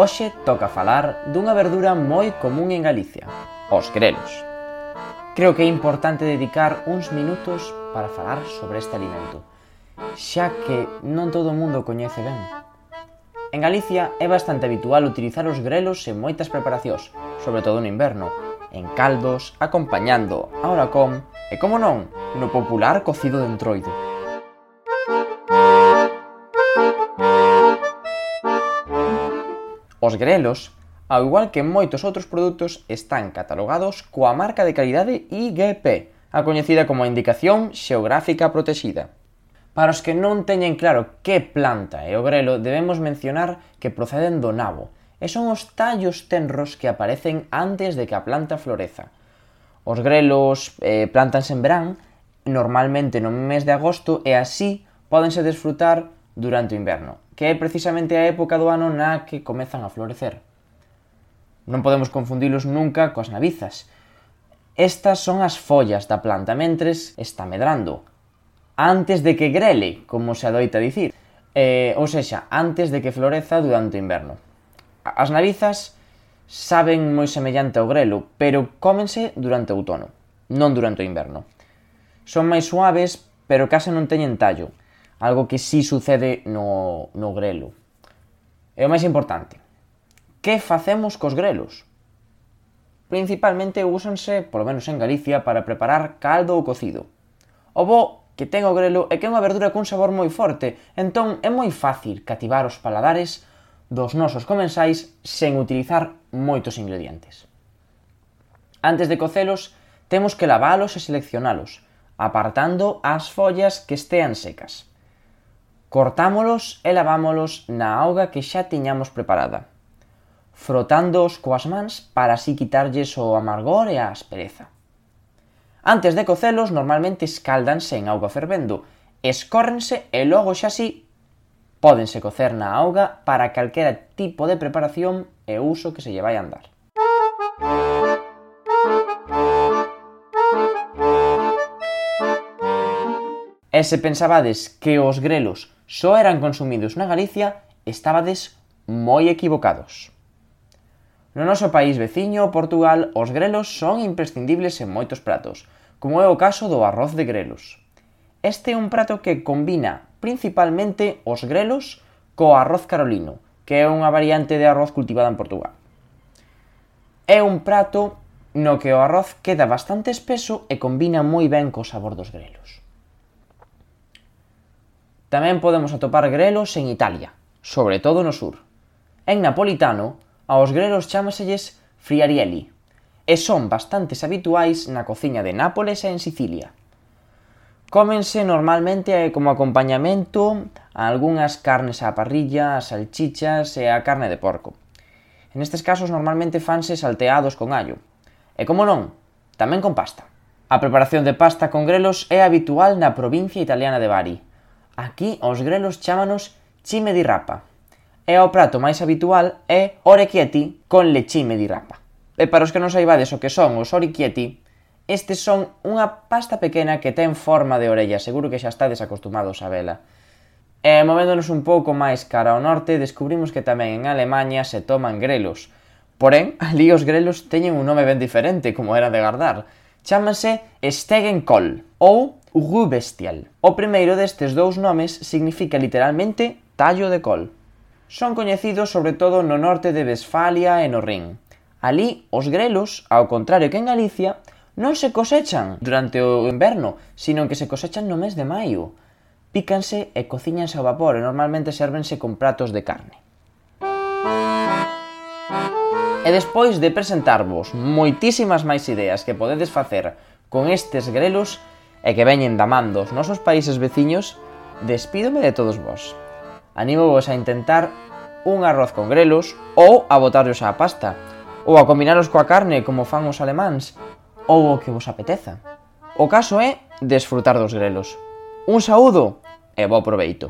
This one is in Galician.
Hoxe toca falar dunha verdura moi común en Galicia, os grelos. Creo que é importante dedicar uns minutos para falar sobre este alimento, xa que non todo o mundo o coñece ben. En Galicia é bastante habitual utilizar os grelos en moitas preparacións, sobre todo no inverno, en caldos, acompañando a horacón e, como non, no popular cocido de entroido. Os grelos, ao igual que moitos outros produtos, están catalogados coa marca de calidade IGP, a coñecida como a Indicación Xeográfica Protexida. Para os que non teñen claro que planta é o grelo, debemos mencionar que proceden do nabo, e son os tallos tenros que aparecen antes de que a planta floreza. Os grelos plántanse en verán, normalmente no mes de agosto, e así pódense desfrutar durante o inverno, que é precisamente a época do ano na que comezan a florecer. Non podemos confundilos nunca coas nabizas. Estas son as follas da planta mentres está medrando, antes de que grele, como se adoita dicir, ou sexa, antes de que floreza durante o inverno. As nabizas saben moi semellante ao grelo, pero cómense durante o outono, non durante o inverno. Son máis suaves, pero case non teñen tallo, algo que sí sucede no grelo. E o máis importante, que facemos cos grelos? Principalmente úsanse, polo menos en Galicia, para preparar caldo ou cocido. O bo que ten o grelo é que é unha verdura cun sabor moi forte, entón é moi fácil cativar os paladares dos nosos comensais sen utilizar moitos ingredientes. Antes de cocelos, temos que lavalos e seleccionalos, apartando as follas que estean secas. Cortámolos e lavámolos na auga que xa tiñamos preparada, frotándoos coas mans para así quitarlles o amargor e a aspereza. Antes de cocelos, normalmente escáldanse en auga fervendo, escórrense e logo xa así pódense cocer na auga para calquera tipo de preparación e uso que se lle vai a dar. E se pensabades que os grelos só eran consumidos na Galicia, estabades moi equivocados. No noso país veciño, Portugal, os grelos son imprescindibles en moitos pratos, como é o caso do arroz de grelos. Este é un prato que combina principalmente os grelos co arroz carolino, que é unha variante de arroz cultivada en Portugal. É un prato no que o arroz queda bastante espeso e combina moi ben co sabor dos grelos. Tamén podemos atopar grelos en Italia, sobre todo no sur. En napolitano, aos grelos chámaselles friarielli, e son bastantes habituais na cociña de Nápoles e en Sicilia. Cómense normalmente como acompañamento a algunhas carnes á parrilla, as salchichas e a carne de porco. En estes casos normalmente fanse salteados con allo. E como non, tamén con pasta. A preparación de pasta con grelos é habitual na provincia italiana de Bari. Aquí os grelos chámanos cime di rapa. E o prato máis habitual é orecchietti con lecime di rapa. E para os que non saibades o que son os orecchietti, estes son unha pasta pequena que ten forma de orella, seguro que xa estades acostumados a vela. E movéndonos un pouco máis cara ao norte, descubrimos que tamén en Alemanha se toman grelos. Porén, ali os grelos teñen un nome ben diferente, como era de gardar. Chámanse Stegenkohl ou Rühbestial. O primeiro destes dous nomes significa literalmente tallo de col. Son coñecidos sobre todo no norte de Westfalia e no Rin. Alí, os grelos, ao contrario que en Galicia, non se cosechan durante o inverno, sino que se cosechan no mes de maio. Pícanse e cociñanse ao vapor e normalmente sérvense con pratos de carne. E despois de presentarvos moitísimas máis ideas que podedes facer con estes grelos e que veñen da man dos nosos países veciños, despídome de todos vós. Anímovos a intentar un arroz con grelos ou a botarlos á pasta, ou a combinaros coa carne como fan os alemáns, ou o que vos apeteza. O caso é desfrutar dos grelos. Un saúdo e bo proveito.